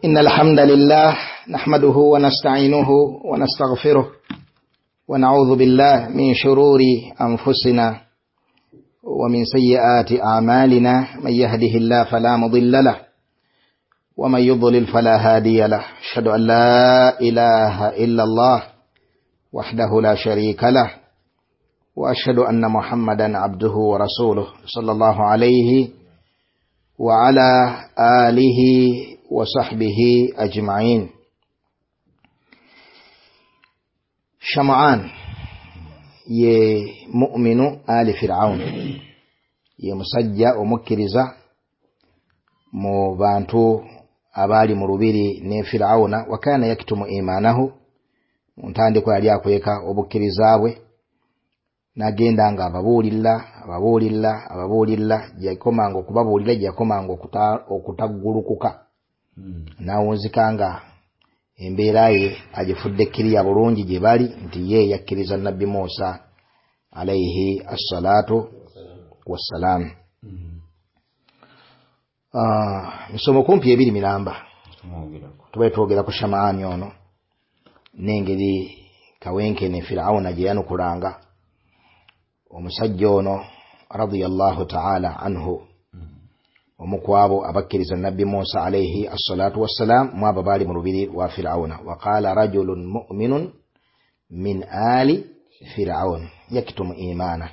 إن الحمد لله نحمده ونستعينه ونستغفره ونعوذ بالله من شرور أنفسنا ومن سيئات أعمالنا، من يهده الله فلا مضل له ومن يضلل فلا هادي له، أشهد أن لا إله إلا الله وحده لا شريك له، وأشهد أن محمدا عبده ورسوله صلى الله عليه وعلى آله وصحبه أجمعين. Sham'an ye mu'minu ali Fir'aun, ye musajja omukkiriza mu bantu abaali mu lubiri ne Fir'auna. Wa kana yaktumu imanahu, mu ntandikwa yali akweka obukkiriza bwe, n'agenda nga ababuulira ababuulira ababuulira, gye yakomanga okubabuulira, gye yakomanga okutaggulukuka, n'awunzika nga embeera ye agifudde kkiriya bulungi gye bali nti ye yakkiriza Nabbi Musa alaihi assalatu wassalam. Misomo kumpi ebiri miramba tubaye twogera ku Sham'ani ono n'engeri kawenkene Fir'auna gye yanukulanga omusajja ono radiyallahu ta'ala anhu, omu ku abo abakkiriza Nabbi Musa alaihi assalatu wassalam, mu abo baali mu lubiri lwa Fir'auna. Wa qala rajulun mu'minun min ali Fir'aun yaktumu imana.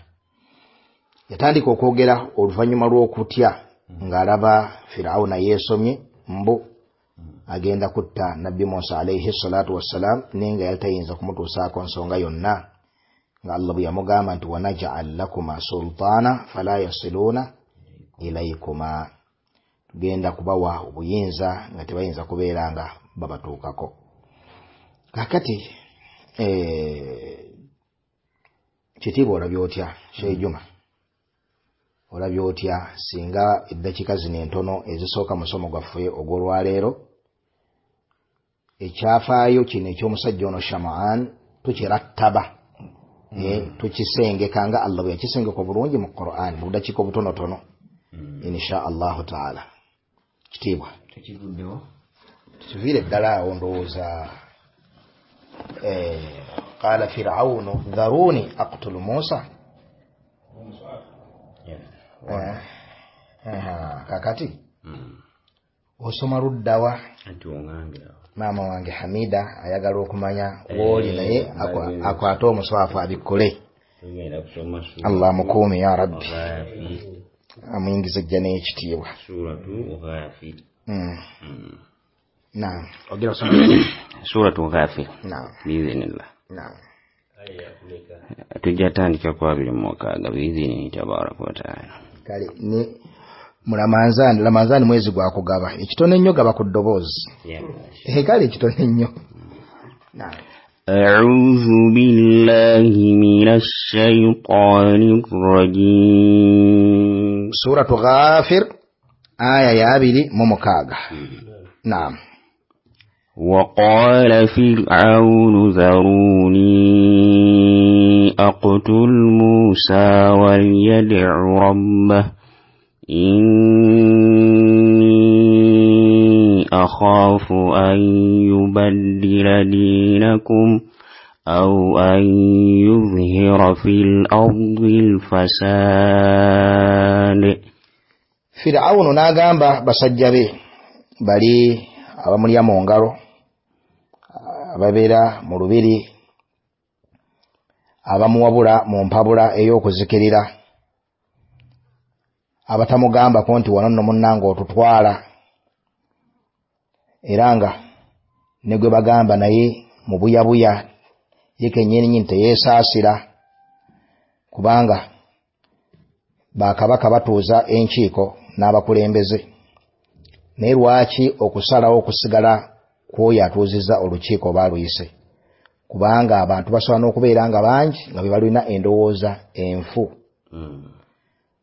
Yatandika okwogera oluvannyuma lw'okutya ng'alaba Fir'auna yeesomye mbu agenda kutta Nabbi Musa alaihi salatu wassalam, naye nga yali tayinza kumutuusaako nsonga yonna, nga Allah bwe yamugamba nti wanaj'al lakuma sultaana fala yasiluuna ilaykuma, tugenda kubawa obuyinza nga tebayinza kubeera nga babatuukako. Kakati kitiibwa olabye otya Sheikh Juma, olabye otya singa eddakiika zino entono ezisooka musomo gwaffe ogw'olwaleero ekyafaayo kino eky'omusajja ono Sham'an tukirattaba, tukisengeka nga Allah bwe yakisengeka obulungi mu Qur'an mu budakiika obutonotono, insha Allahu taala. Kitiibwa tekivuddewo, tukiviire ddala awo ndowooza. Qala Fir'aunu dharuni aqtulu Musa. Kakati osoma luddawa? Maama wange Hamida ayagala okumanya wooli, naye akwate omuswafu abikkule. Allah mukuume ya Rabbi, amuyingize ejja n'ekitiibwa. Naam, ogera osoma Suratu Ghafir. Naam, biidhinillah. Naam, tujja tandika ku 26 biidhinihi tabaraka wa taala. Kale ni mu Ramanzani, Ramanzani mwezi gwa kugaba ekitono ennyo, gaba ku ddoboozi. Kale ekitono ennyo. Naam. أعوذ بالله من الشيطان الرجيم. Suratu Ghafir aya ya 26. Naam. وقال فرعون ذروني أقتل موسى وليدع ربه إني أخاف أن يبدل دينكم أو أن يظهر في الأرض الفساد. Fir'aunu n'agamba basajja be bali abamulya mu ngalo, ababeera mu lubiri, abamuwabula mu mpabula ey'okuzikirira, abatamugambako nti wano nno munnange otutwala, era nga ne gwe bagamba naye mu buyabuya ye kennyini teyeesaasira, kubanga bakabaka batuuza enkiiko n'abakulembeze. Naye lwaki okusalawo okusigala kw'oyo atuuzizza olukiiko oba aluyise? Kubanga abantu basobola n'okubeera nga bangi nga be balina endowooza enfu.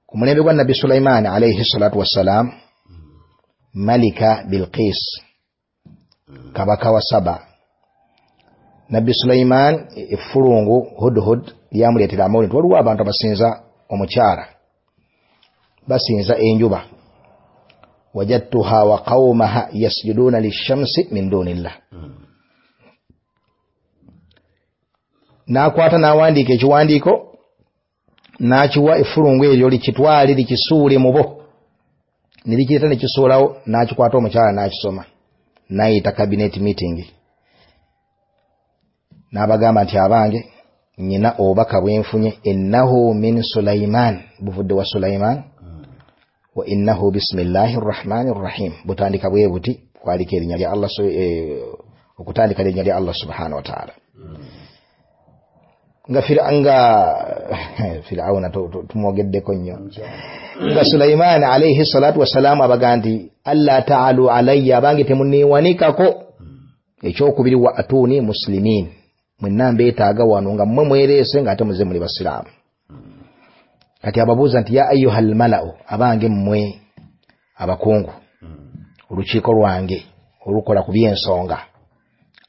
Ku mulembe gwa Nabbi Sulaimaani alaihi salatu wassalam, Malika Bilqis kabaka wa Saba, Nabbi Sulaiman effulungu Hudhud lyamuleetera amawulire nti waliwo abantu abasinza omukyala, basinza enjuba. Wajadtuha wa qawmaha yasjuduna lishamsi min dunillah. N'akwata n'awandiika ekiwandiiko n'akiwa effulungu eryo likitwale likisuule mu bo, ne likireeta ne kisuulawo. N'akikwata omukyala n'akisoma, n'ayita cabinet meeting, n'abagamba nti abange, nyina obubaka bwenfunye, innahu min Sulaiman, buvudde wa Sulaiman, wa innahu bismillahi rrahmani rrahim, butandika bwe buti, kwaliko erinnya lya Allah, okutandika erinnya lya Allah subhanahu wa ta'ala. Nga Fir'auna tumwogeddeko nnyo, nga Sulaiman alayhi salatu wassalamu abaga nti alla ta'alu alayya, abange temunneewanikako. Ekyokubiri, wa atuni muslimin, mwenna mbeetaaga wano nga mmwe mwereese ng'ate muze muli basiraamu. Kati ababuuza nti ya ayyuhal mala'u, abange mmwe abakungu, olukiiko lwange olukola ku by'ensonga,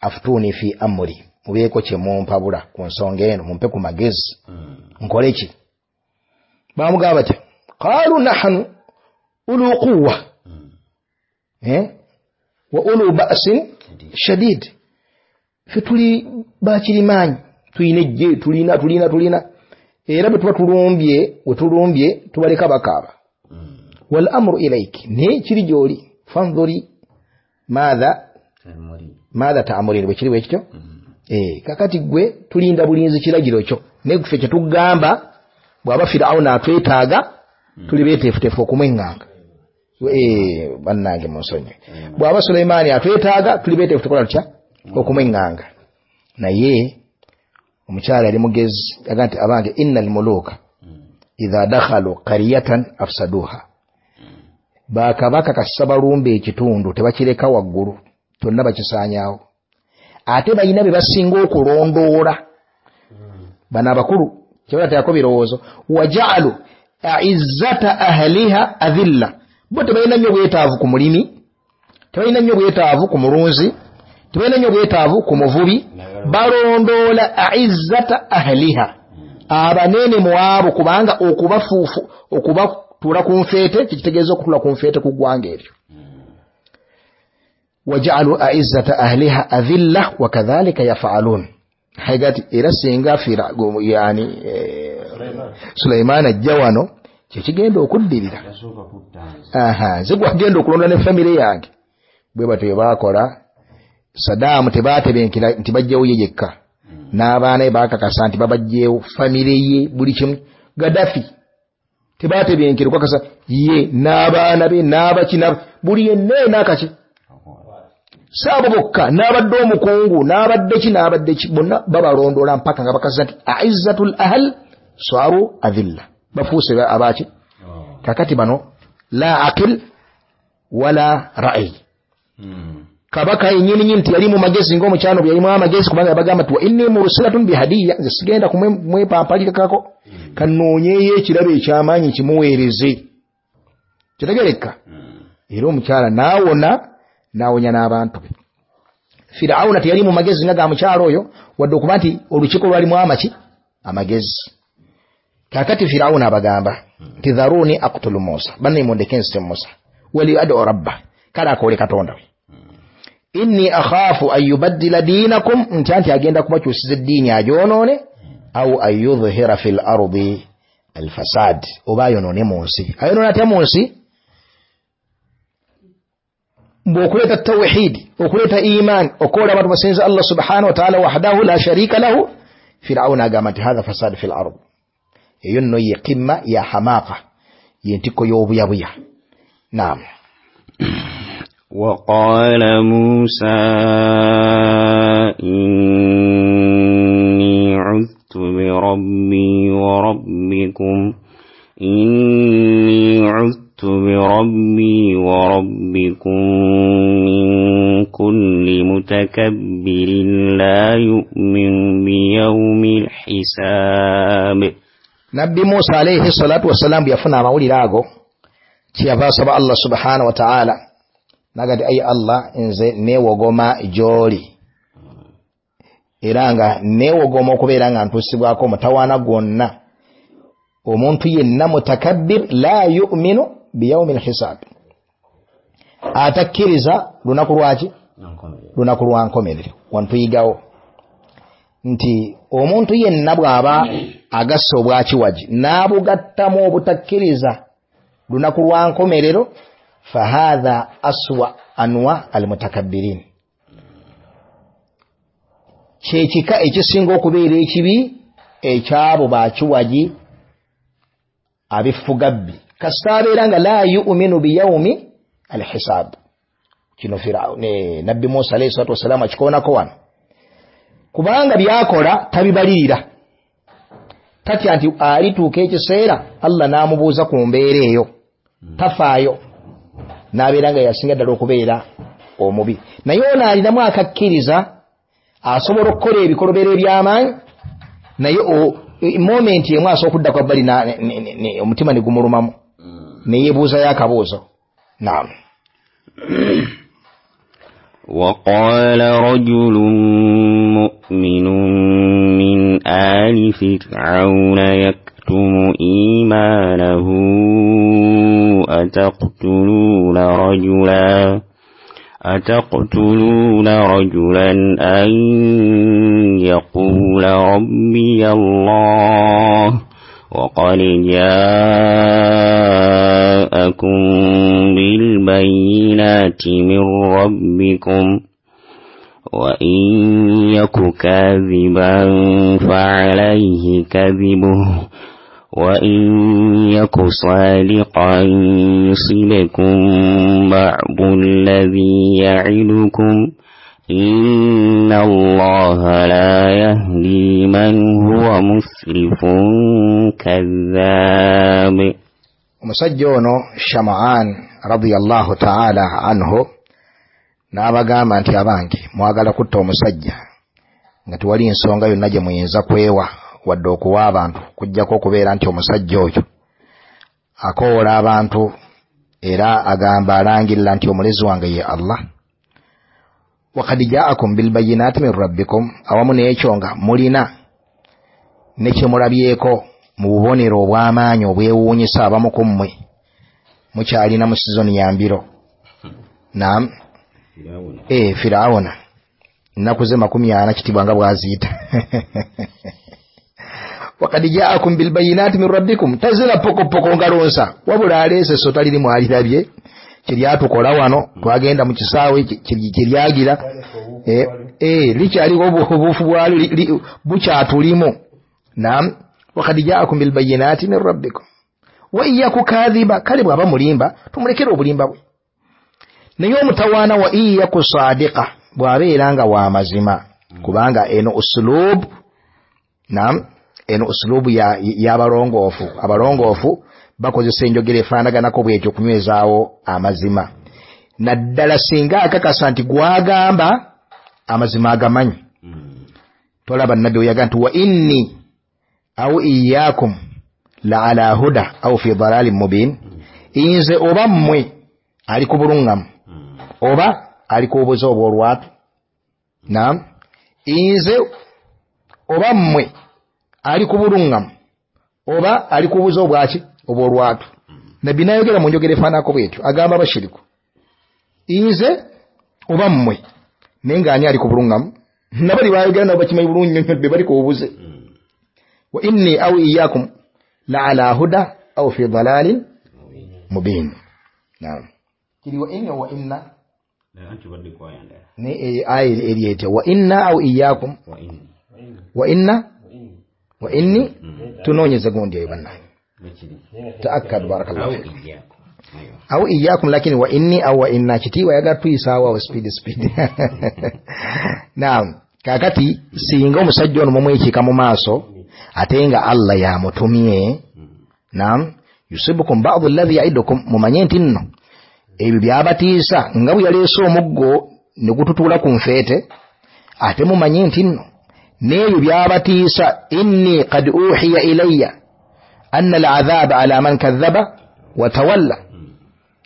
afutuuni fi amri, mubeeko kye mumpabula ku nsonga eno, mumpe ku magezi, nkole ki? Bamugamba bati qaalu nahnu ulu quwwa wa ulu ba'sin shadid, ffe tuli bakirimaanyi, tulina ejje, tulina tulina tulina, era bwe tuba tulumbye we tulumbye tubaleka bakaaba. Wal amru ilaiki, naye kiri gy'oli, fanzuri maatha ta'murin, bwe kiri bwe kityo. Kakati gwe tulinda bulinzi kiragiro kyo, naye ffe kye tugamba bw'aba Fir'auna atwetaaga tuli beeteefuteefu okumweŋŋanga. Bannange munsonyiwe, bw'aba Sulaimaani atwetaaga tuli beeteefu tukola tutya okumweŋŋanga. Naye omukyala yali mugezi, yaga nti abange innal muluka idha dakhalu qaryatan afsaduha, bakabaka kasita balumba ekitundu tebakireka waggulu, kyonna bakisaanyaawo. Ate balina be basinga okulondoola bano abakulu, kyebateekako birowoozo, waja'alu a'izzata ahliha adhilla, bo tebalina nnyo bwetaavu ku mulimi, tebalina nnyo bwetaavu ku mulunzi, tebalina nnyo bwetaavu ku muvubi, balondoola a'izzata ahliha, abanene mu abo, kubanga okubafuufu okubatuula ku nfeete kikitegeeza okutuula ku nfeete ku ggwanga eryo. Waja'alu a'izzata ahliha adhilla wa kadhalika yaf'alun, haigati era singa yani Sulaiman ajja wano kyekigenda okuddirira, nze gwagenda okulonda ne famire yange. Bwe batyo bwe baakola. Saddam tebatebenkera nti bajjewo ye yekka, n'abaana be baakakasa nti babajjeewo famire ye buli kimu. Gaddafi tebatebenkera okukakasa ye n'abaana be n'abaki buli yenna enaakaki, saabo bokka n'abadde omukungu n'abadde ki n'abadde ki, bonna babalondoola mpaka nga bakasa nti a'izzatul ahl swaru adhilla, bafuuse abaki. Kakati bano la aqil wala ra'yi. Kabaka yennyini nti yali mu magezi ng'omukyano bwe yalimu amagezi, kubanga yabagamba nti wa inni mursilatun bihadiyya, nze sigenda kumwepampalikako, kanoonyeeyo ekirabo eky'amaanyi kimuweereze. Kitegeereka? Era omukyala n'awona, n'awonya n'abantu be. Fir'auna teyali mu magezi nga ga mukyala oyo, wadde okuba nti olukiiko lwalimu amaki amagezi. Kakati Fir'auna abagamba nti dharuni aqtulu Musa, banne mundeke nzite Musa, wali ad'u rabba, kale akoole Katonda we, inni akhafu an yubaddila dinakum, nti anti agenda kubakyusiza eddiini agyonoone, au an yudhhira fil ardi alfasad, oba ayonoone mu nsi. Ayonoone atya mu nsi? Mbw'okuleeta tawhidi, okuleeta imaani, okukola abantu basinza Allah subhanahu wa ta'ala wahdahu la sharika lahu. Fir'auna agamba nti hadha fasad fil ard, eyo nno ye qimma ya hamaqa, ye ntikko y'obuyabuya. Naam. وقال موسى إني عذت بربي وربكم إني عذت بربي وربكم من كل متكبر لا يؤمن بيوم الحساب. Nabbi Musa alayhi salatu wassalam yafuna amawulire ago, kyeyava asaba Allah subhanahu wa ta'ala nagati ayi Allah, nze neewogoma gy'oli, era nga neewogoma okubeera nga ntuusibwako omutawaana gwonna, omuntu yenna mutakabbir la yu'minu biyaumi lhisab, Atakkiriza lunaku lwaki? Lunaku lwa nkomerero. Wantuyigawo nti omuntu yenna bw'aba agasse obwakiwagi n'abugattamu obutakkiriza lunaku lwa nkomerero, fahadha aswa anwa almutakabbirin, kyekika ekisinga okubeera ekibi ekyabo bakiwagi abifugabbi, kasita abeera nga la yu'minu biyaumi alhisab. Kino Nabbi Musa alayhi salatu wassalaamu akikoonako wano, kubanga byakola tabibalirira, tatya nti alituuka ekiseera Allah n'amubuuza ku mbeera eyo, tafaayo n'abeera nga yasinga ddala okubeera omubi. Naye ono alinamu akakkiriza, asobola okukola ebikolobero eby'amaanyi, naye momenti emu asobola okudda kwa bbali omutima ne gumulumamu neyeebuuzayo akabuuzo. Naam. وقال رجل مؤمن من آل فرعون يكتم إيمانه أتقتلون رجلا أن يقول ربي الله وقد جاءكم بالبينات من ربكم وإن يك كاذبا فعليه كذبه وإن يك صادقا يصبكم بعض الذي يعدكم إن الله لا يهدي من هو مسرف كذاب. Omusajja ono Shama'an radiyallahu ta'ala anhu n'abagamba nti abange, mwagala kutta omusajja nga tewali nsonga yonna gye muyinza kwewa wadde okuwa abantu, kujjako okubeera nti omusajja oyo akoola abantu era agamba alangirira nti omulezi wange ye Allah. Wakad jaakum bilbayinati min rabbikum, awamu n'ekyo nga mulina ne kye mulabyeko mu bubonero obw'amaanyi obwewuunyisa abamu ku mmwe, mukyalina mu sizoni ya mbiro. Naam, Firawuna nnaku ze 40 kitibwa nga bw'aziyita. Wakad jaakum bilbayinati min rabbikum, tazira pokopoko ngalonsa, wabula aleese essota lirimu alirabye kyeryatukola wano, twagenda mu kisaawe kyeryagira likyaliko obuufu bwalyo bukyatulimu. Naam, wakad jaakum bilbayinati min rabbikum wa iyaku kadhiba, kale bw'aba mulimba tumulekere obulimba bwe, naye omutawaana wa iyaku sadiqa, bw'abeera nga wa mazima, kubanga eno usulubu, naam, eno usulubu y'abalongoofu. Abalongoofu bakozesa enjogera efaanaganako bwetyo okunywezaawo amazima, naddala singa akakasa nti gwagamba amazima agamanyi. Tolaba nabbi weyaga nti wa inni au iyakum la ala huda au fi dalalin mubin, nze oba mmwe ali ku bulungamu oba ali ku bubuze obw'olwatu. Naam, nze oba mmwe ali ku bulungamu oba ali ku bubuze obwaki obw'olwatu. Nabbi n'ayogera mu njogera efaanako bwetyo, agamba abashiriku nze oba mmwe, naye ng'ani ali ku bulungamu? Nabali bayogera nabo bakimanyi bulungi nnyo be bali ku bubuze. Wa inni au iyakum la ala huda au fi dalalin mubin. Naam, kiri wa inni wa inna ne aya eri etya wa inna au iyakum wa inna wa inni, tunoonyeze gundi eyo bannange. Taakkad barakallahu fikum. Au iyakum, lakini wa inni au wa inna kitiibwa yagala tuyisaawo awo speed speed. Naam, kaakati singa omusajja ono mumwekiika mu maaso ate nga Allah yamutumye, naam, yusibukum ba'du alladhi ya'idukum, mumanye nti nno ebyo byabatiisa nga bwe yaleese omuggo ne gututuula ku nfeete, ate mumanye nti nno n'ebyo byabatiisa, inni qad uhiya ilayya anna al'adhaba ala man kadhaba wa tawalla,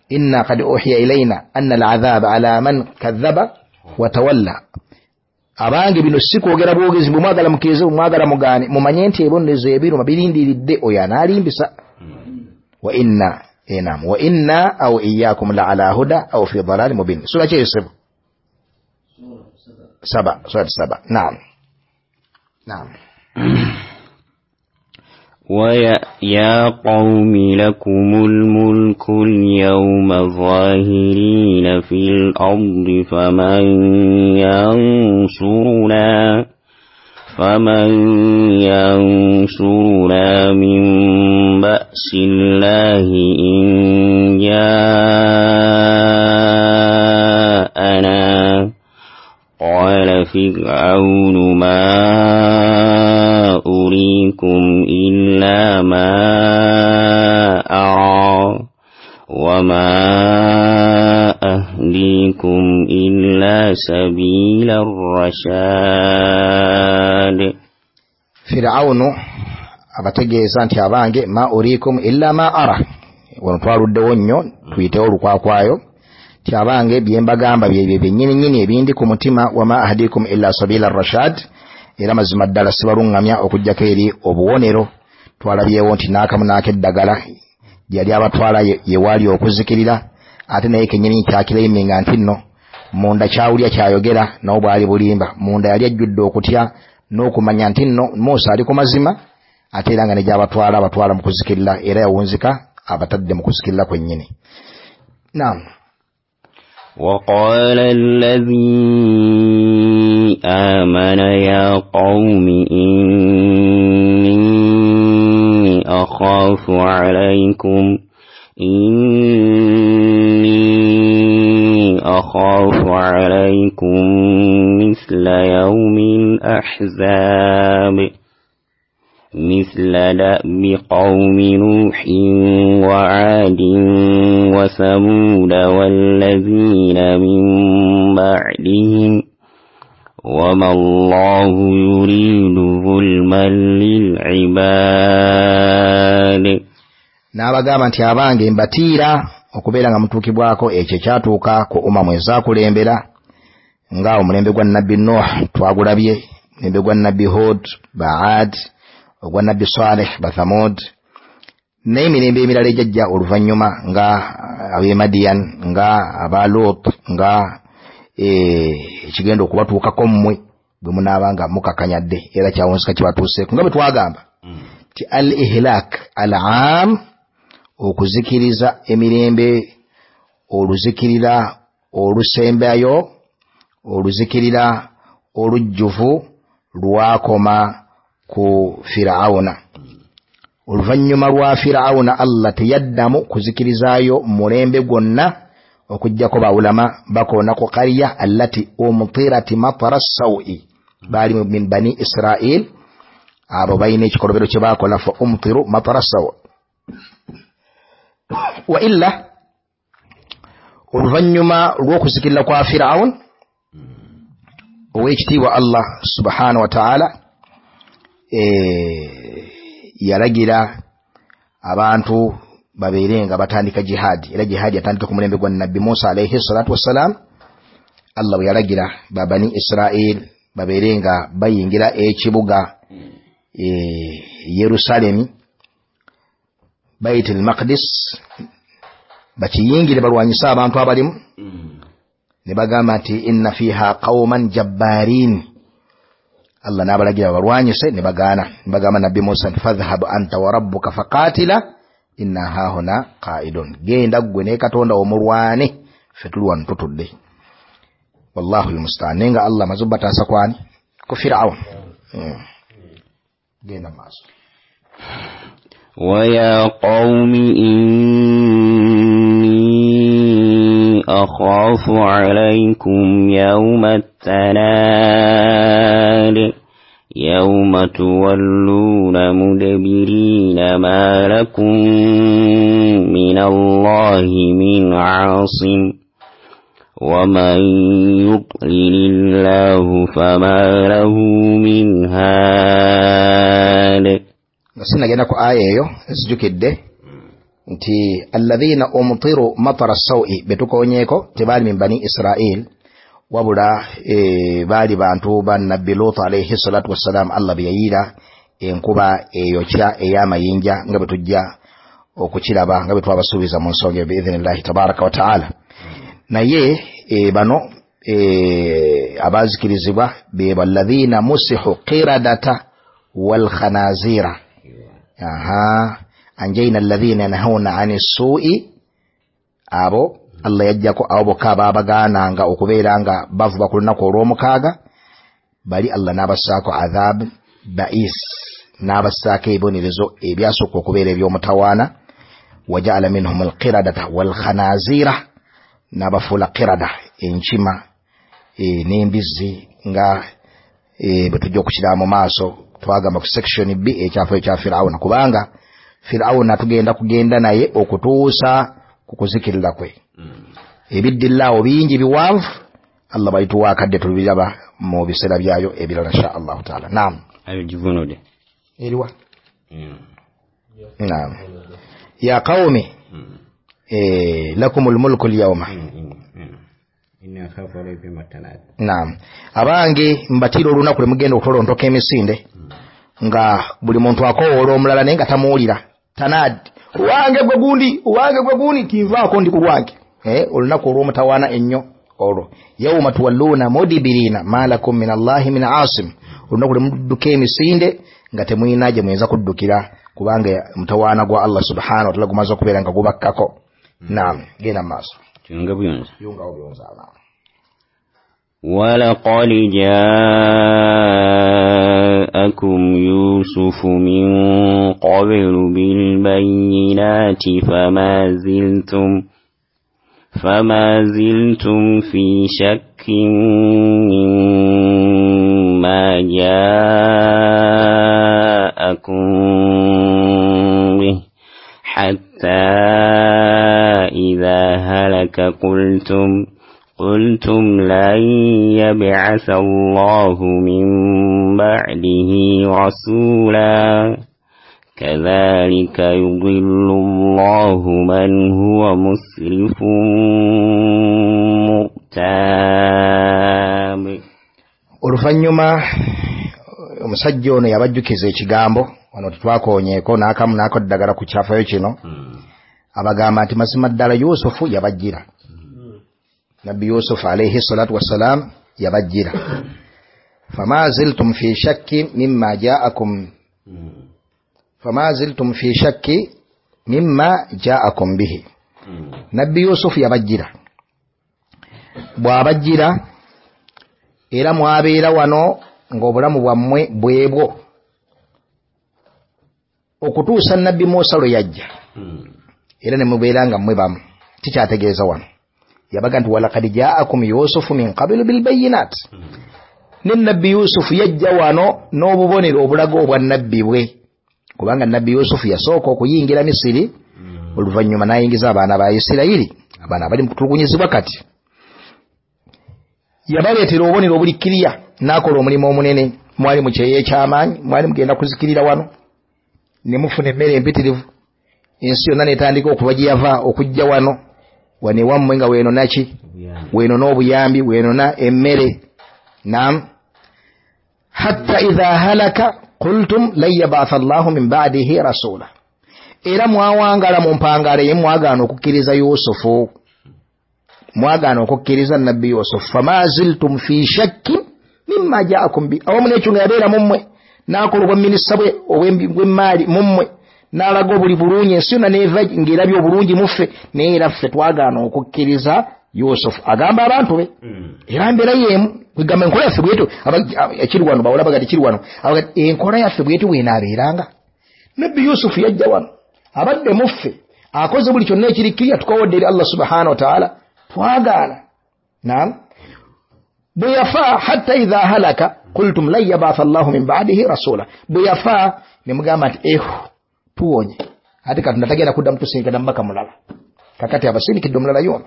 inna qad uhiya ilayna anna al'adhaba ala man kadhaba wa tawalla. Abange bino si kwogera bwogezi, bwe mwagala mukkirize, bwe mwagala mugaane, mumanye nti ebibonerezo ebiruma birindiridde oyo anaalimbisa. Wa inna Enam wa inna aw iyyakum la ala huda aw fi dhalalin mubin. Sura ki Yusuf? Saba, sura saba. Naam. Naam. ويا قوم لكم الملك اليوم ظاهرين في الأرض فمن ينصرنا من بأس الله إن جاءنا. قال فرعون ما أريكم إلا ما أرى وما أهديكم إلا سبيل الرشاد. Fir'aunu abategeeza nti abange ma urikum illa ma ara, wano twaluddewo nnyo tuyitewo olukwakwayo nti abange bye mbagamba byebyo byennyini nnyini ebindi ku mutima, wama ahdikum illa sabila rashad, era mazima ddala sibaluŋŋamya okuggyako eri obuwonero. Twalabyewo nti n'akamu n'akeddagala yali abatwala yewaali okuzikirira, ate naye kennyini kyakireiminga nti nno munda kyawulya kyayogera nawo bwali bulimba, munda yali ajjudde okutya n'okumanya nti nno Musa ali ku mazima, ate era nga ne gy'abatwala abatwala mu kuzikirira, era yawunzika abatadde mu kuzikirira kwennyini. Naam. وقال الذي آمن يا قوم إني أخاف عليكم مثل يوم الأحزاب مثل دأب قوم نوح وعاد وثمود والذين من بعدهم وما الله يريد ظلما للعباد. N'abagamba nti abange mbatiira okubeera nga mutuukibwako ekyo ekyatuuka ku umamu ezaakulembera, nga omulembe gwa Nabbi Nuh twagulabye, omulembe gwa Nabbi Hud, Baad, ogwa Nabbi Saleh, Bathamud, n'emirembe emirala ejajja oluvannyuma nga ab'e Madian, nga aba Lut, nga ekigenda okubatuukako mmwe bwe munaaba nga mukakanyadde, era kyawunzika kibatuuseeko nga bwe twagamba nti al ihlak al aam, okuzikiriza emirembe, oluzikirira olusembayo, oluzikirira olujjuvu lwakoma ku Fir'auna. Oluvannyuma lwa Fir'auna Allah teyaddamu kuzikirizaayo mulembe gwonna okuggyako bawulama bakoona ku qariya allati umtirati matara sawi, baali min bani Israil, abo balina ekikolobero kye baakola fa umtiru matara sawi. Wa illa oluvannyuma lw'okuzikirira kwa Fir'aun, ow'ekitiibwa Allah subhanahu wa ta'ala yalagira abantu babeere nga batandika jihadi, era jihadi yatandika ku mulembe gwa Nabbi Musa alayhi salatu wassalam. Allah bwe yalagira ba bani Israil babeere nga bayingira ekibuga Yerusalemi, Bait al-Maqdis, bakiyingire balwanyise abantu abalimu, ne bagamba nti inna fiha qauman jabbarin. Allah n'abalagira balwanyise ne bagaana, ne bagamba Nabbi Musa nti fadhhab anta wa rabbuka faqatila inna hahuna qaidun, genda ggwe ne Katonda omulwane, ffe tuli wano tutudde. Wallahu almustaan. Naye nga Allah amaze obbataasa kwani ku Fir'aun. Genda maaso. ويا قوم إني أخاف عليكم يوم التناد يوم تولون مدبرين ما لكم من الله من عاصم ومن يضلل الله فما له من هاد. Sinagenda ku aya eyo nzijukidde nti alladhina umtiru matara sawi betukonyeeko tebaali min bani Israil, wabula baali bantu ba Nabbi Lut alayhi salatu wassalam. Allah bye yayiira enkuba eyokya ey'amayinja nga bwe tujja okukiraba nga bwe twabasuubiza mu nsonga eyo biidhinillahi tabaraka wa taala. Naye bano abazikirizibwa be alladhina musihu qiradata wal khanazira. Aha, anjayna alladhina yanhauna ani su'i, abo Allah yajjako abo bokka abaabagaananga okubeera nga bavuba ku lunaku olw'omukaaga, bali Allah n'abassaako adhab ba'is, n'abassaako ebibonerezo ebyasooka okubeera eby'omutawaana. Wajaala minhum alqiradata walkhanazira, n'abafuula qirada, enkima n'embizzi, nga bwe tujja okukiraba mu maaso. Twagamba ku section B ekyafo ekya Firawuna, kubanga Firawuna tugenda kugenda naye okutuusa ku kuzikirira kwe. Ebiddillaawo bingi biwanvu, Allah balituwa akadde tubiraba mu biseera byayo ebirala insha Allahu taala. Naam, ayo givunudde eriwa. Naam, ya qawmi lakumul mulku al-yawma. Naam, abange mbatira olunaku lwe mugenda okutolontoka emisinde, nga buli muntu akowoola omulala naye nga tamuwulira. Tanadi, wange gwe gundi, wange gwe gundi, tinvaako ndi ku lwange. Olunaku olw'omutawaana ennyo olwo, yawma tuwalluuna mudibirina ma lakum min Allahi min asim, olunaku lwe mudduka emisinde nga temulina gye muyinza kuddukira, kubanga mutawaana gwa Allah subhanahu wa ta'ala gumaze okubeera nga gubakkako. Naam, genda mu maaso. Yunga buyunza. Yungawo buyunza. ولقد جاءكم يوسف من قبل بالبينات فما زلتم في شك مما جاءكم به حتى إذا هلك قلتم لن يبعث الله من بعده رسولا كذلك يضل الله من هو مسرف مرتاب. Oluvannyuma omusajja ono yabajjukiza ekigambo wano tetwakoonyeeko n'akamu n'akoddagala ku kyafayo kino. Abagamba nti mazima ddala Yusufu yabajjira. Nabbi Yusuf alayhi salatu wassalam yabajjira. Fama ziltum fi shakki mimma ja'akum, fama ziltum fi shakki mimma ja'akum bihi. Nabbi Yusuf yabajjira. Bw'abajjira era mwabeera wano ng'obulamu bwammwe bwebwo okutuusa Nabbi Musa lwe yajja, era ne mubeera nga mmwe bamu. Kikyategeeza wano yabaga nti walaqad ja'akum Yusufu min qablu bilbayinat, ne Nabbi Yusufu yajja wano n'obubonero obulaga obwa nabbi bwe, kubanga Nabbi Yusufu yasooka okuyingira Misiri, oluvannyuma n'ayingiza abaana ba Isirayiri, abaana abali mu kutulugunyizibwa. Kati yabaleetera obubonero obuli kiriya, n'akola omulimu omunene. Mwali mu kyeyo eky'amaanyi, mwali mugenda kuzikirira wano, ne mufuna emmere empitirivu, ensi yonna n'etandika okuva gye yava okujja wano. Wano ewammwe nga weenona ki? Weenona obuyambi, weenona emmere. Naam, hatta idha halaka qultum lan yabatha Allahu min ba'dihi rasula, era mwawangala mu mpangala ye mwagaana okukkiriza Yusufu, mwagaana okukkiriza Nabbi Yusufu. Fama ziltum fi shakkin mimma ja'akum bi, awamu n'ekyo nga yabeera mu mmwe, n'akola obwaminisita bwe obw'emmaali mu mmwe, n'alaga obuli bulungi, ensi yonna n'eva ng'erabye obulungi muffe, naye era ffe twagaana okukkiriza Yusufu. Agamba abantu be, era mbeera y'emu kwegamba enkola yaffe bwetyo ekiri wano, bawala bagati kiri wano, enkola yaffe bwetyo bw'enaabeeranga. Nabbi Yusufu yajja wano, abadde muffe, akoze buli kyonna ekiri kiriya, tukawodde eri Allah subhanahu wa ta'ala, twagaana. Naam, bwe yafa hatta idha halaka qultum lan yabatha Allahu min ba'dihi rasula, bwe yafa ne mugamba nti ehu tuwonye, ate Katonda tagenda kuddamu tusindika mubaka mulala, kakati abasindikidde omulala yono.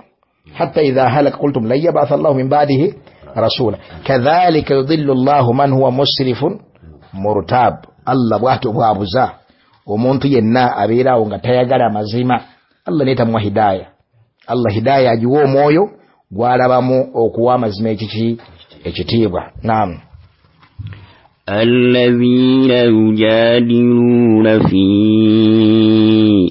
Hatta idha halaka qultum lan yabatha Allahu min ba'dihi rasula kadhalika yudhillu Allahu man huwa musrifun murtab. Allah bw'atyo bw'abuza omuntu yenna abeeraawo nga tayagala mazima, Allah naye tamuwa hidaya. Allah hidaya agiwa omwoyo gw'alabamu okuwa amazima ekiki ekitiibwa. Naam. الذين يجادلون في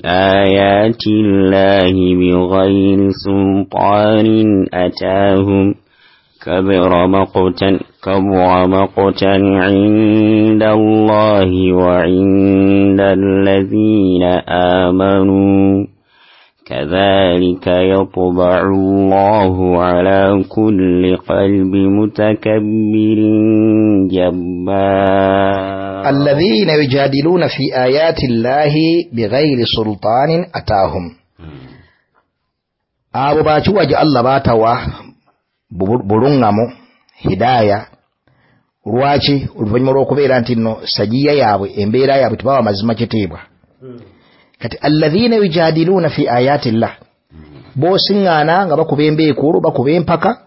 آيات الله بغير سلطان أتاهم كبر مقتا عند الله وعند الذين آمنوا كذلك يطبع الله على كل قلب متكبر جبار. الذين يجادلون في آيات الله بغير سلطان أتاهم. Abo bakiwaja Allah batawa bulungamu hidaya. Lwaki? Oluvannyuma lw'okubeera nti nno sajiya yaabwe, embeera yaabwe tebawa mazima kitiibwa. Kati alladhina yujadiluuna fi ayati llah, b'osiŋŋaana nga bakuba embeekuulo, bakuba empaka,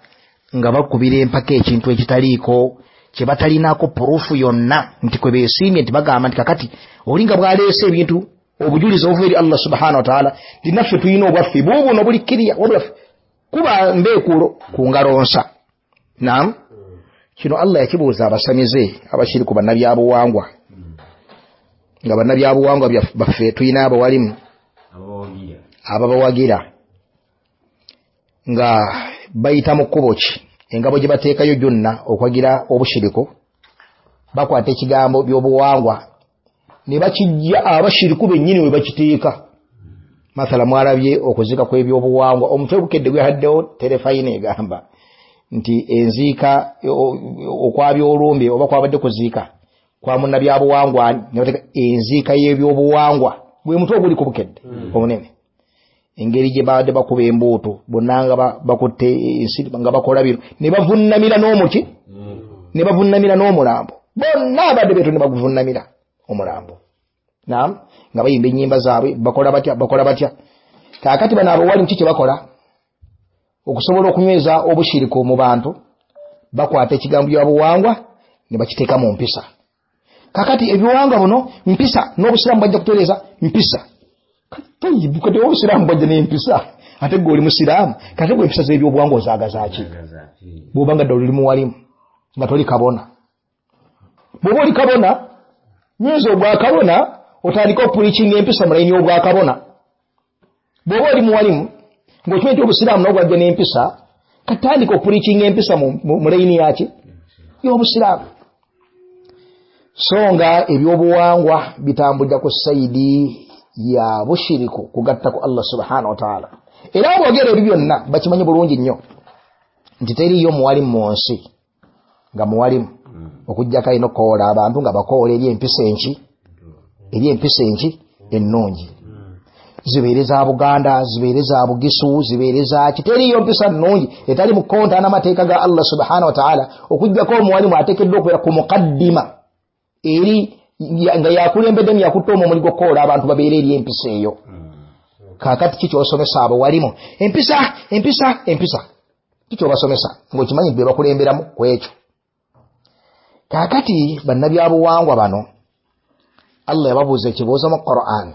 nga bakubira empaka ekintu ekitaliiko kye batalinaako purufu yonna nti kwe beesiimye, nti bagamba nti kakati oli nga bw'aleese ebintu obujulizi obuva eri Allah subhanahu wa ta'ala, nti naffe tulina obwaffe buubuno buli kkiriya, wabula kuba mbeekuulo ku ngalo nsa. Naam, kino Allah yakibuuza abasamize abashiriku bannabyabuwangwa, nga bannabyabuwangwa baffe tulina abawalimu ababawagira nga bayita mu kkubo ki, engabo gye bateekayo gyonna okwagira obushiriku, bakwata ekigambo by'obuwangwa ne bakijja abashiriku bennyini we bakiteeka. Mathala mwalabye okuzika kw'ebyobuwangwa, omutwe gukedde gwehaddewo terefayina egamba nti enziika okwabyolumbe oba kwabadde kuziika kwa munnabyabuwangwa, enziika y'ebyobuwangwa gwe mutwe oguli ku bukedde omunene. Engeri gye babadde bakuba embuutu bonna nga bakutte ensi nga bakola bino ne bavunnamira n'omuki, ne bavunnamira n'omulambo, bonna abadde beeto ne baguvunnamira omulambo. Naam, nga bayimba ennyimba zaabwe, bakola batya, bakola batya. Kaakati bano abawalimu ki kye bakola okusobola okunyweza obushiriku mu bantu? Bakwata ekigambo by'obuwangwa ne bakiteeka mu mpisa. Kakati ebiwangwa buno mpisa, n'obusiraamu bwajja kutereeza mpisa. Kati obusiraamu bwajja n'empisa, ate gwe oli musiraamu, kati gwe empisa z'ebyobuwangwa ozaagaza ki? Bw'oba nga ddala oli muwalimu nga toli kabona. Bw'oba oli kabona, nyweza obwakabona, otandike okupulikinga empisa mu layini y'obwakabona. Bw'oba oli muwalimu ng'okimanyi nti obusiraamu nabwo bwajja n'empisa, katandika okupulikinga empisa mu layini yaki y'obusiraamu. So nga ebyobuwangwa bitambulira ku sayidi ya bushiriku, kugatta ku Allah subhanahu wa ta'ala. Era aboogera ebyo byonna bakimanyi bulungi nnyo nti teriiyo muwalimu mu nsi nga muwalimu okuggyako alina okukowoola abantu nga bakowoola eri empisa enki, eri empisa enki ennungi, zibeere za Buganda, zibeere za Bugisu, zibeere za ki, teriiyo mpisa nnungi etali mu konta n'amateeka ga Allah subhanahu wa ta'ala, okuggyako omuwalimu ateekeddwa okubeera ku mukaddima eri nga yakulembeddemu, yakutte omwo omuli gw'okukowoola abantu babeere eri empisa eyo. Kaakati ki ky'osomesa abawalimu? Empisa, empisa, empisa. Ki ky'obasomesa ng'okimanyi nti be bakulemberamu ku ekyo? Kaakati bannabyabuwangwa bano Allah yababuuza ekibuuzo mu Qur'an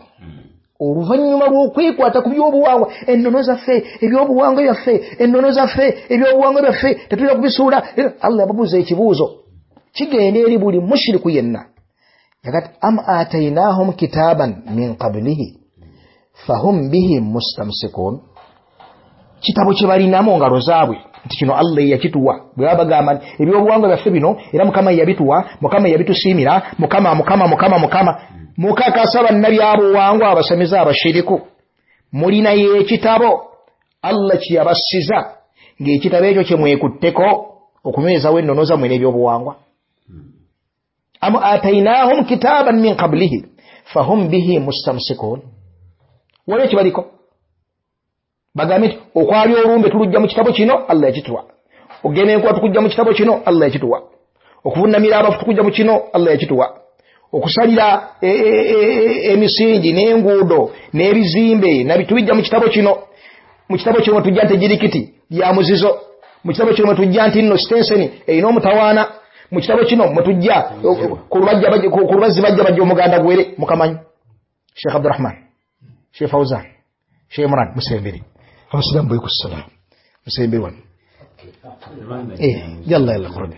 oluvannyuma lw'okwekwata ku byobuwangwa, ennono zaffe, ebyobuwangwa byaffe, ennono zaffe, ebyobuwangwa byaffe, tetulina kubisuula. Allah yababuuza ekibuuzo kigenda eri buli mushiriku yenna. Yakati am atainahum kitaban min qablihi fahum bihi mustamsikun, kitabo kye balina mu ngalo zaabwe nti kino Allah yakituwa. Bwe baba bagamba nti ebyobuwangwa byaffe bino era Mukama yabituwa, Mukama yabitusiimira, Mukama, Mukama, Mukama, Mukama. Mukakasa bannabyabuwangwa abasamize abashiriku, mulinayo ekitabo Allah kye yabassiza, ng'ekitabo ekyo kye mwekutteko okunywezawo ennono zammwe n'ebyobuwangwa. Am atainahum kitaban min qablihi fahum bihi mustamsikun, waliwo kibaliko bagambe nti okwabya olumbe tulujja mu kitabo kino, Allah yakituwa. Okugenda enkuba tukujja mu kitabo kino, Allah yakituwa. Okuvunnamira abafu tukujja mu kino, Allah yakituwa. Okusalira emisingi n'enguudo n'ebizimbe nabitubijja mu kitabo kino. Mu kitabo kino tujja nti ejirikiti lya muzizo, mu kitabo kino tujja nti nno sitenseni erina omutawaana, mu kitabo kino mwetujja ku lubazzi bajja bajja omuganda gwere. Mukamanyi Sheikh Abdurrahman, Sheikh Fauzan, Sheikh Imran, musembere abasiraamu bwekusalamu, musembere wano. Yalla yalla, qurb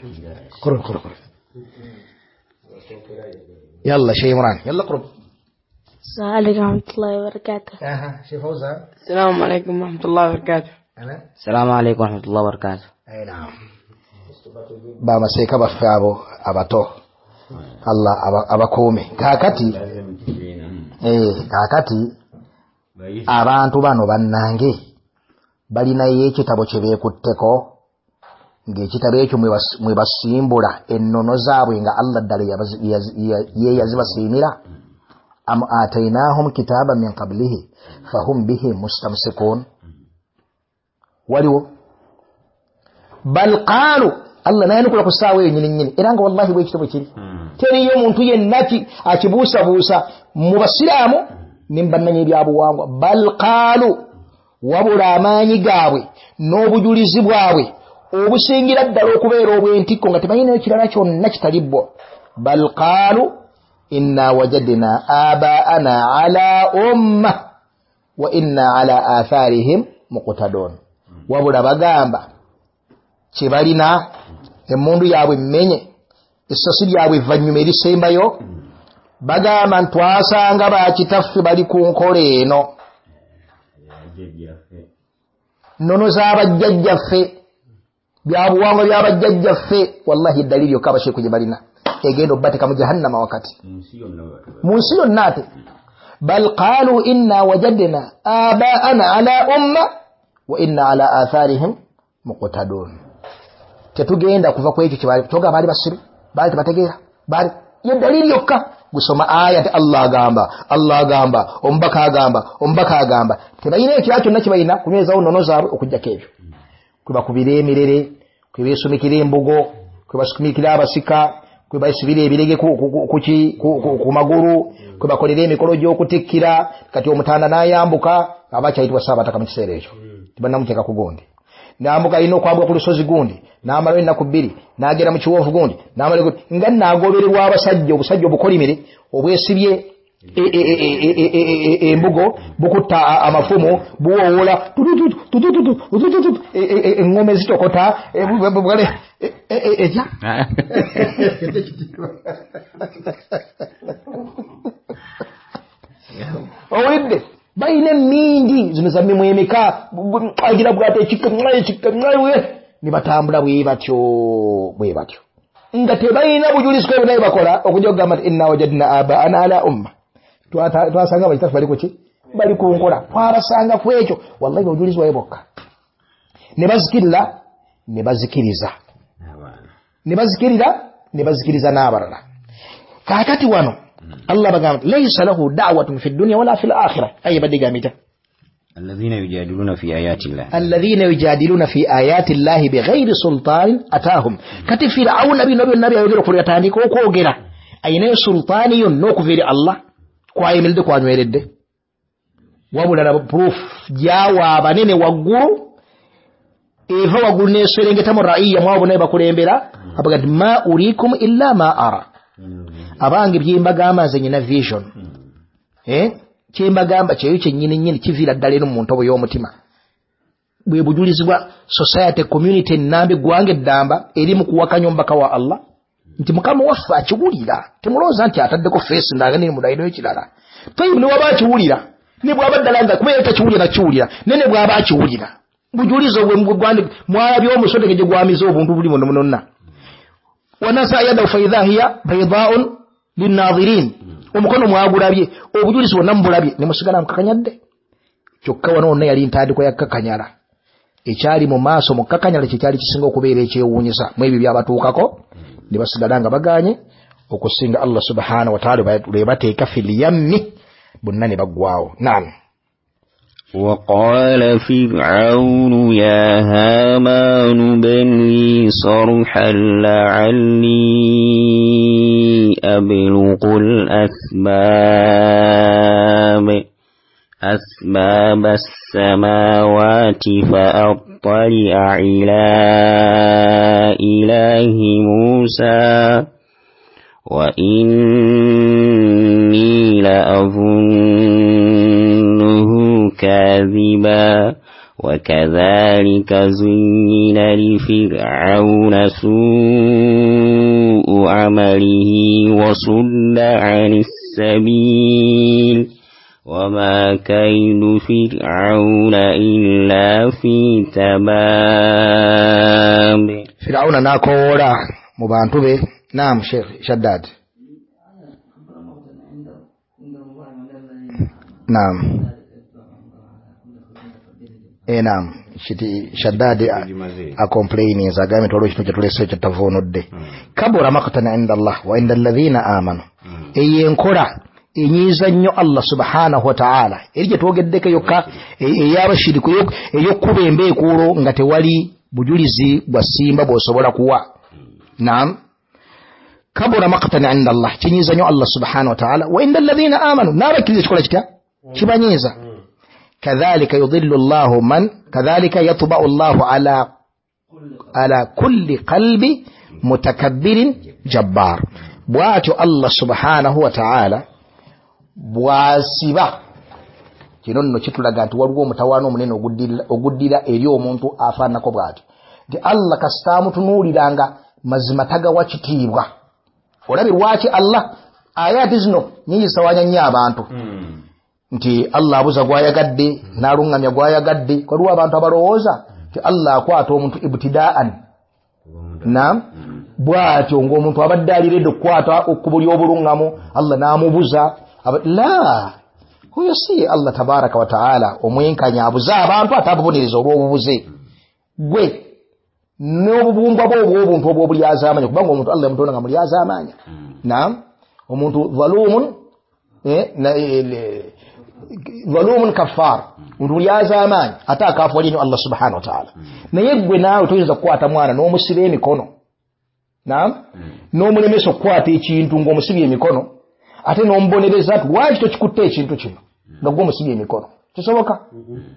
qurb qurb, yalla Sheikh Imran, yalla qurb. السلام عليكم ورحمة الله وبركاته. شيخ فوزان. السلام عليكم ورحمة الله وبركاته. السلام عليكم ورحمة الله وبركاته. أي نعم. Bamaseeka baffe abo abato Allah abakuume. Kaakati kaakati abantu bano bannange balinayo ekitabo kye beekutteko, ng'ekitabo ekyo mwe basimbula ennono zaabwe nga Allah ddala ye yazibasiimira. Am atainahum kitaba min qablihi fahum bihi mustamsikun. Waliwo bal qaalu, Allah nayanukula ku ssaawa eyo nnyini nnyini, era nga wallahi bwekitabo kiri teriyo omuntu yenna akibuusabuusa mu basiraamu ne mu bannanyi ebyabuwangwa. Bal qaalu, wabula amaanyi gaabwe n'obujulizi bwabwe obusingira ddala okubeera obw'entikko nga tebalinayo kirala kyonna kitali bwo. Bal qaalu inna wajadna abaana ala umma wa inna ala atharihim muqtadun. Wabula bagamba kye balina, emmundu yaabwe mmenye, essasi lyabwe evvannyuma erisembayo, bagamba nti twasanga bakitaffe bali ku nkola eno, nnono z'abajjajjaffe, byabuwangwa byabajjajjaffe. Wallahi eddaliri yokka abasheeku gye balina egenda obbateeka mu jahannama wakati mu nsi yonna ate. Bal qaalu inna wajadna abaana ala umma wa inna ala atharihim muqtadun. Tetugenda kuva ku ekyo kye toga, baali basiru, baali tebategeera, baali ye dalili yokka. Gusoma aya nti Allah agamba, Allah agamba, omubaka agamba, omubaka agamba. Tebalina ekirala kyonna kye balina kunywezawo nnono zaabwe okuggyako ebyo. Kwe bakubira emirere, kwe beesumikira embugo, kwe basumikira abasika, kwe basibira ebirege ku magulu, kwe bakolera emikolo gy'okutikkira. Kati omutanda n'ayambuka, aba akyayitibwa Ssaabataka mu kiseera ekyo, tebannamuteeka ku gundi. Nambuka alina okwambuka ku lusozi gundi, n'amalayo ennaku bbiri, n'agenda mu kiwoofu gundi, n'amalayo gundi, nga naagobererwa abasajja, obusajja obukolimire obwesibye embugo, bukutta amafumu, buwoowola eŋŋoma ezitokota etya. Owulidde balina emmindi zino za mimwa emeka, agira bwate ekika ekika, ne batambula bwe batyo bwe batyo nga tebalina bujulizi ku ebyo naye bakola okujja okugamba nti inna wajadna abaana ala umma, twasanga bakitaffe bali kuki, bali ku nkola, twabasanga ku ekyo. Wallahi obujulizi bwabe bwokka ne bazikirira, ne bazikiriza, ne bazikirira, ne bazikiriza n'abalala. Kaakati wano Allah bagamba laysa lahu da'watun fi dunya wala fil akhirah. Ayi badde gamita alladhina yujadiluna fi ayati llah, alladhina yujadiluna fi ayati llahi bighayri sultanin atahum. Kati Fir'auna bino byonna byayogera okuva yatandika okwogera ayinayo sultaani yonna okuva eri Allah kwayimiridde kwanyweredde, wabula laba proof gyawa abanene waggulu, eva waggulu n'eserengeta mu raiya mwabo naye bakulembera, abaga nti ma urikum illa ma ara, abange byembagamba nze nyina vision, kyembagamba kyeyo kyennyini nnyini kiviira ddala eno mu ntobo y'omutima. Bwe bujulizi bwa society community ennamba eggwanga eddamba eri mu kuwakanya omubaka wa Allah nti Mukama waffe akiwulira, temulowooza nti ataddeko feesi ndanga neri mudaliro ekirala. Toyibu ne waba akiwulira, ne bw'aba ddala nga kuba takiwulira nakiwulira, ne ne bw'aba akiwulira bujulizi obwe mwalabye omusoteke gye gwamiza obuntu buli muno munonna. Wanasa yadahu faidha hiya baydaun linnadhirin, omukono mwagulabye, obujulizi bwonna mubulabye ne musigala mukakanyadde. Kyokka wano wonna yali ntandikwa ya kakanyala, ekyali mu maaso mu kakanyala kyekyali kisinga okubeera ekyewuunyisa mu ebyo byabatuukako, ne basigala nga baganye okusinga Allah subhanahu wa ta'ala lwe bateeka fil yammi bonna ne baggwawo. Naam. وقال فرعون يا هامان ابن لي صرحا لعلي أبلغ أسباب السماوات فأطلع إلى إله موسى وإني لأظنه كاذبا وكذلك زين لفرعون سوء عمله وصد عن السبيل وما كيد فرعون إلا في تباب. Firawuna n'akowoola mu bantu be. Naam, Sheikh Shaddad. Naam. Naam. Shaddad acomplaininze agambye nti waliwo ekintu kye tuleseeyo kye tutavuunudde. Kabura maqtan inda Allah wa inda alladhina amanu. Eyo enkola enyiiza nnyo Allah subhanahu wa ta'ala, eri gye twogeddeko yokka ey'abashiriku ey'okkuba embeekuulo nga tewali bujulizi bwa ssimba bw'osobola kuwa. Naam. Kabura maqtan inda Allah, kinyiiza nnyo Allah subhanahu wa ta'ala, wa inda alladhina amanu, n'abakkiriza kikola kitya? Kibanyiiza. Kadhalika yudhillu Allahu man, kadhalika yatba'u Allahu ala kulli qalbi mutakabbirin jabbar. Bw'atyo Allah subhanahu wa ta'ala bw'asiba. Kino nno kitulaga nti waliwo omutawaana omunene oguddira eri omuntu afaananako bw'atyo, nti Allah kasita amutunuuliranga mazima tagawa kitiibwa. Olabye lwaki Allah ayaati zino nyingi zitawaanya nnyo abantu, nti Allah abuza gw'ayagadde n'aluŋŋamya gw'ayagadde. Waliwo abantu abalowooza nti Allah akwata omuntu ibtidaan. Naam, bw'atyo ng'omuntu abadde aliredde okukwata ekkubo ly'obuluŋŋamu, Allah n'amubuza. La, oyo si Allah tabaraka wa taala omwenkanya abuza abantu ate ababonereza olw'obubuze. Gwe n'obubumbwa bwo obw'obuntu obw'obulyazaamaanya, kubanga omuntu Allah yamutonda nga mulyazaamaanya. Naam, omuntu dhalumun dhalumun kaffar, omuntu mulyazaamaanya ate akafuwalye nnyo Allah subhanahu wa taala. Naye gwe naawe toyinza kukwata mwana n'omusiba emikono, naam, n'omulemesa okukwata ekintu ng'omusibye emikono, ate n'omubonereza nti lwaki tokikutte ekintu kino nga gwe omusibye emikono. Kisoboka?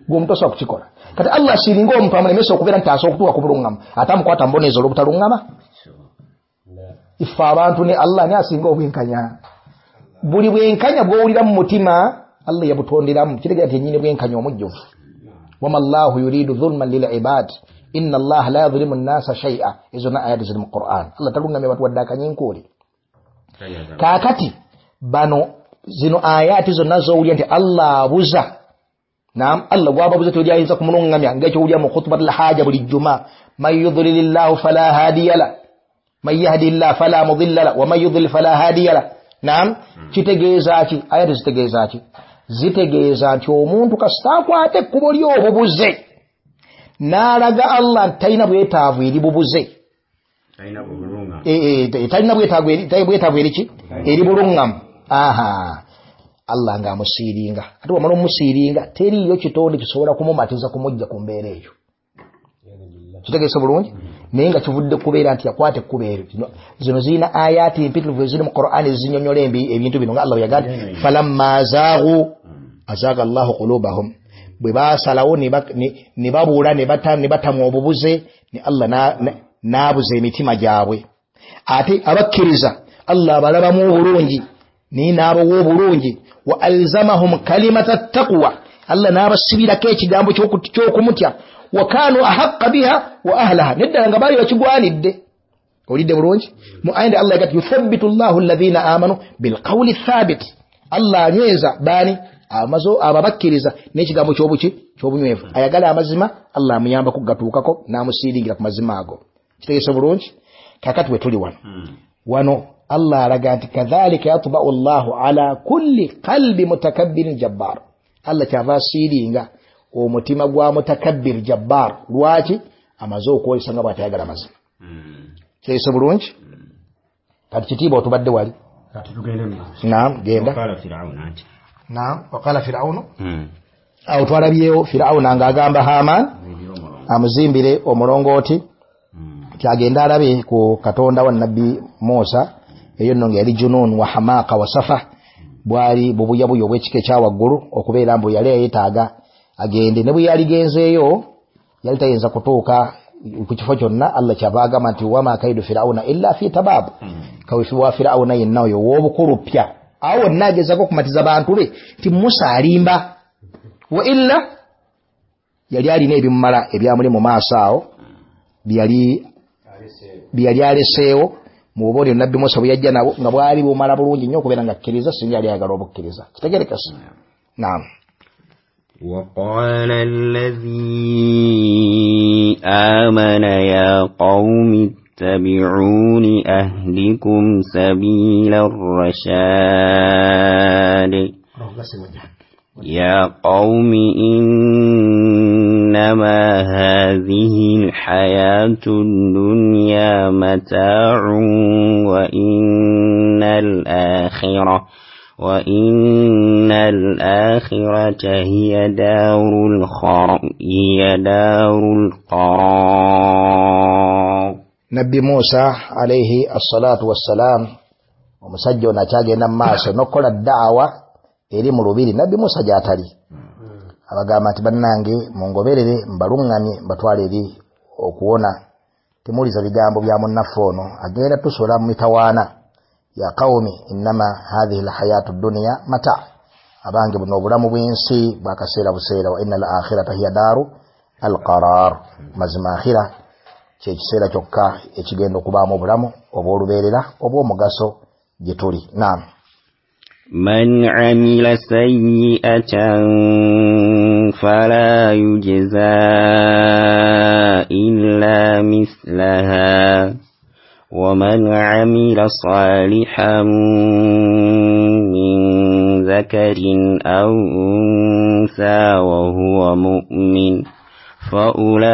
Gwe omuntu osobola kukikola. Kati Allah asiringa omuntu amulemesa okubeera nti asobola okutuuka ku buluŋŋamu, ate amukwata mubonereza olw'obutaluŋŋama. Ife abantu ne Allah ani asinga obwenkanya? Buli bwenkanya bw'owulira mu mutima Allah yabutonderamu, kitegeeza nti yennyini bwenkanya omujjuvu. Wama Allahu yuridu dhulman lil ibad inna Allaha la yadhlimu nnasa shay'a. Ezo na ayati ziri mu Qur'an. Allah taluŋŋamya bantu wadde akanyinkuli. Kaakati bano zino ayati zonna z'owulira nti Allah abuza. Naam, Allah gw'ababuza tewali ayinza kumuluŋŋamya, ng'ekyowulira mu khutbatul haja buli jjuma, man yudlilillahu fala hadiya la man yahdillahu fala mudilla la wa man yudlil fala hadiya la. Naam, kitegeeza ki? Ayati zitegeeza ki? Zitegeeza nti omuntu kasita akwata ekkubo ly'obubuze n'alaga Allah nti talina bwetaavu eri bubuze, talina bwetaavu eri ki? Eri buluŋŋamu. Aha, Allah ng'amusiiringa. Ate bw'amala omusiiringa teriiyo kitonde kisobola kumumatiza kumujja ku mbeera eyo. Kitegeesa bulungi? Naye nga kivudde kubeera nti yakwata ekkubo eryo. Zino zirina ayaati mpitirivu eziri mu Qur'an ezinyonnyola ebintu bino, nga Allah bwe yagambye falamma zaagu azaaga Allahu qulubahum, bwe baasalawo ne babuula ne batamwa obubuze, ne Allah n'abuza emitima gyabwe. Ate abakkiriza Allah abalabamu obulungi naye n'abawa obulungi. Wa alzamahum kalimata taqwa, Allah n'abasibirako ekigambo ky'okumutya. Wa kanu ahaqqa biha wa ahlaha, neddala nga baali bakigwanidde. Olidde bulungi? Mu aya Allah yagati yuthabbitu Allahu alladhina amanu bilqawli thabit, Allah anyweza baani ababakkiriza n'ekigambo ky'obuki ky'obunywevu. Ayagala amazima Allah amuyamba kugatuukako n'amusiiringira ku mazima ago. Kitegeesa bulungi? Kaakati we tuli wano, wano Allah alaga nti kadhalika yatba'u Allahu ala kulli qalbi mutakabbirin jabbar. Allah kyava asiiringa omutima gwa mutakabbir jabbar. Lwaki? Amaze okwolesa nga bw'atayagala mazima. Kitegeesa bulungi? Kati kitiibwa otubadde wali. Naam, genda. Naam, waqala Fir'aunu. Awo twalabyewo Fir'auna ng'agamba Haman amuzimbire omulongooti nti agende alabe ku Katonda wa Nabbi Musa. Eyo nno nga yali junun wa hamaaka wa safa, bwali bubuyabuya obw'ekika ekya waggulu, okubeera mbu yali yeetaaga agende. Ne bwe yaligenzeeyo yali tayinza kutuuka ku kifo kyonna. Allah kyava agamba nti wama kaidu Fir'auna illa fi tabab, kaweefube wa Fir'auna yenna oyo ow'obukulu ppya. Awo wonna agezaako okumatiza bantu be nti Musa alimba, wa illa yali alina ebimumala ebyamuli mu maaso awo bye yali aleseewo mu bubonero Nabbi Musa bwe yajja nabo, nga bwali bumala bulungi nnyo okubeera nga akkiriza, singa yali ayagala obukkiriza. Kitegerekese? Naam. وقال الذي آمن يا قوم اتبعون أهدكم سبيل الرشاد يا قوم إنما هذه الحياة الدنيا متاع وإن الآخرة هي دار القرار. Nabbi Musa alayhi assalatu wassalam omusajja ono akyagenda mu maaso n'okukola daawa eri mu lubiri Nabbi Musa gy'atali. Abagamba nti bannange mungoberere mbaluŋŋamye mbatwale eri okuwona, temuwuliza bigambo bya munnaffe ono agenda tusola mu mitawaana. Ya qawmi innama hadhihi alhayatu dunya mata, abange buno obulamu bw'ensi bwakaseera buseera. Wa inna al-akhirata hiya daru alqarar, mazima akhira kyekiseera kyokka ekigenda okubaamu obulamu obw'olubeerera obw'omugaso gye tuli. Naam. Man amila sayyi'atan fala yujza illa mislaha ومن عمل صالحا من ذكر أو أنثى وهو مؤمن فأولئك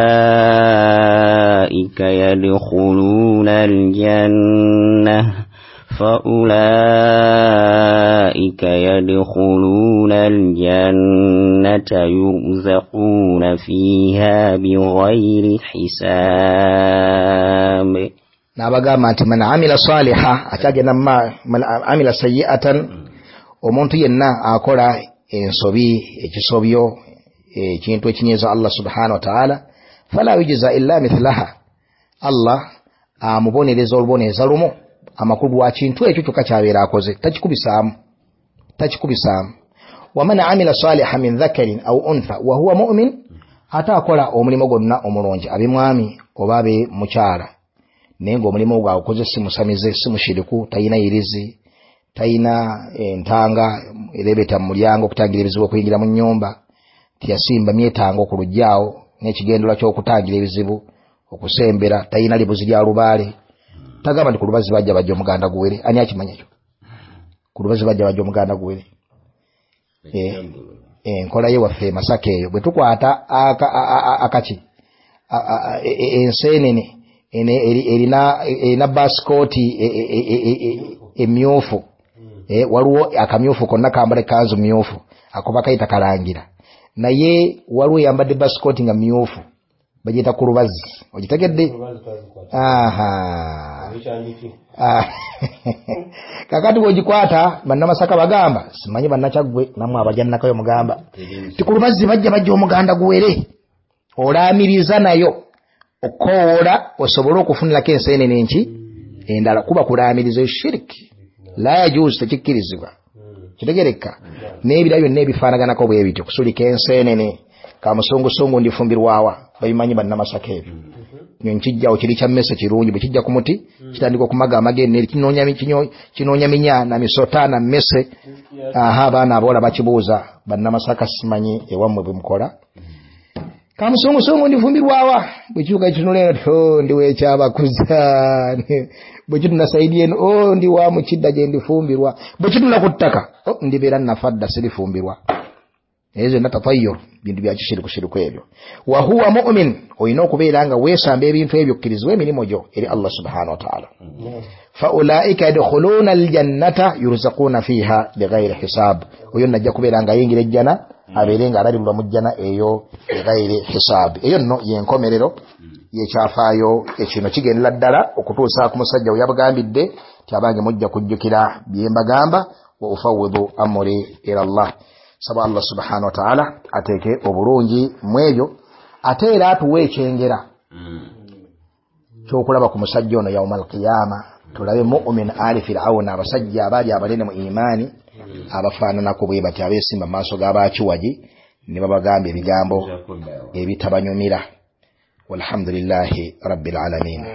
يدخلون الجنة يرزقون فيها بغير حساب. N'abagamba nti man amila saliha, akyagenda man amila sayyi'atan, omuntu yenna akola ensobi, ekisobyo, ekintu ekinyiiza Allah subhanahu wa ta'ala, fala yujza illa mithlaha, Allah amubonereza olubonereza lumu amakulu gwa kintu ekyo kyokka kyabeera akoze, takikubisaamu. Waman amila saliha min dhakarin au untha wa huwa mu'min, ate akola omulimu gwonna omulungi, abe mwami oba abe mukyala, naye ng'omulimu ogwo agukoze si musamize, si mushiriku, talina yirizi, talina entanga erebeta mu mulyango okutangira ebizibu okuyingira mu nnyumba, tiyasimba myetango ku luggyaawo n'ekigendererwa ky'okutangira ebizibu okusembera, talina libuzi lya lubaale, tagamba nti ku lubazi bajja bajja omuganda guwere. Ani akimanya ekyo? Ku lubazi bajja bajja omuganda guwere. Enkola ye waffe e Masaka eyo bwe tukwata akaki enseenene erina basikooti emyufu, waliwo akamyufu konna kambala ekanzu myufu ako bakayita kalangira, naye waliwo eyambadde basikooti nga myufu bagiyita ku lubazi. Ogitegedde? Aha. Kakati bw'ogikwata bannamasaka bagamba, simanyi bannakyaggwe nammwe abajannakayo mugamba ti ku lubazi bajja bajja omuganda guwere, olaamiriza nayo okukowoola osobole okufunirako enseenene nki endala, kuba kulaamiriza eshiriki la yajuuzu, tekikkirizibwa. Kitegereka? N'ebira byonna ebifaanaganako bwe bityo, kusulika enseenene kamusungusungu ndifumbirwawa, babimanyi bannamasaka ebyo. Nkijjawo kiri kya mmese kirungi, bwe kijja ku muti kitandika okumaga amagenne, kinoonya minya na misota na mmese. Aha, abaana aboola bakibuuza bannamasaka, simanyi ewammwe bwe mukola. Kamusungusungu ndifumbirwawa, bwe kiruka kitunula eno ti oh, ndi wekyabakuza, bwe kitunula sayidi eno oh, ndi wa mukidda gye ndifumbirwa, bwe kitunula ku ttaka oh, ndibeera nafa dda sirifumbirwa. Ezo zonna tatayyur, bintu bya kishirikushiriku ebyo. Wa huwa mu'min, olina okubeera nga weesamba ebintu ebyo okkirizibwa emirimu gyo eri Allah subhanahu wa ta'ala. Fa ulaika yadkhuluna aljannata yurzaquuna fiha bighairi hisab, oyo najja kubeera nga ayingira ejjana abeere nga alabirwa mu jjana eyo bighairi hisab. Eyo nno yenkomerero yekyafaayo ekino kigendera ddala okutuusa ku musajja we yabagambidde nti abange mujja kujjukira bye mbagamba, wa ufawwidu amri ila Allah. Saba Allah subhanahu wa ta'ala ateeke obulungi mu ebyo, ate era atuwe ekyengera ky'okulaba ku musajja ono yauma alqiyama, tulabe mu'min ali Fir'auna, abasajja abaali abanene mu imaani abafaananako bwe bati, abeesimba mu maaso g'abakiwagi ne babagamba ebigambo ebitabanyumira. Walhamdulillahi rabbil alamin.